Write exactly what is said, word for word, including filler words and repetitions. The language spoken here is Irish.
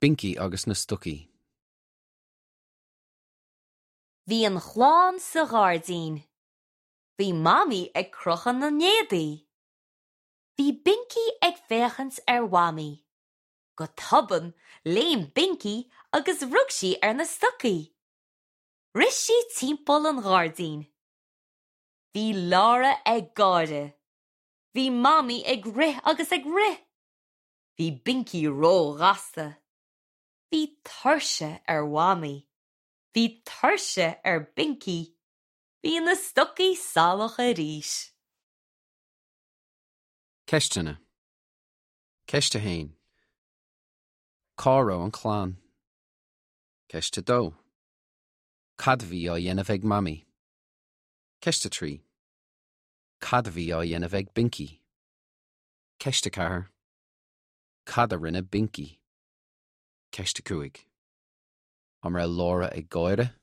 Binky agus na stocaí. Bhí an chlann sa ghairdín. Bhí Mamaí ag crochadh na n-éadaí. Bhí Binky ag féachaint ar Mhamaí. Go tobann léim Binky agus rug sí ar na stocaí. Rith sí timpeall an ghairdín. Bhí Laura ag gáire. Bhí Mamaí ag rith agus ag rith. Bhí Binky róghasta. Bhí tuirse ar Mhamaí. Bhí tuirse ar Binky. Bhí na stocaí salach arís. Ceisteanna. Ceist a haon. Cá raibh an chlann. Ceist a dó. Cad a bhí á dhéanamh ag Mamaí. Ceist a trí. Cad a bhí á dhéanamh ag Binky. Ceist a ceathair. Cad a rinne Binky. Ceist a cúig. An raibh Laura ag gáire?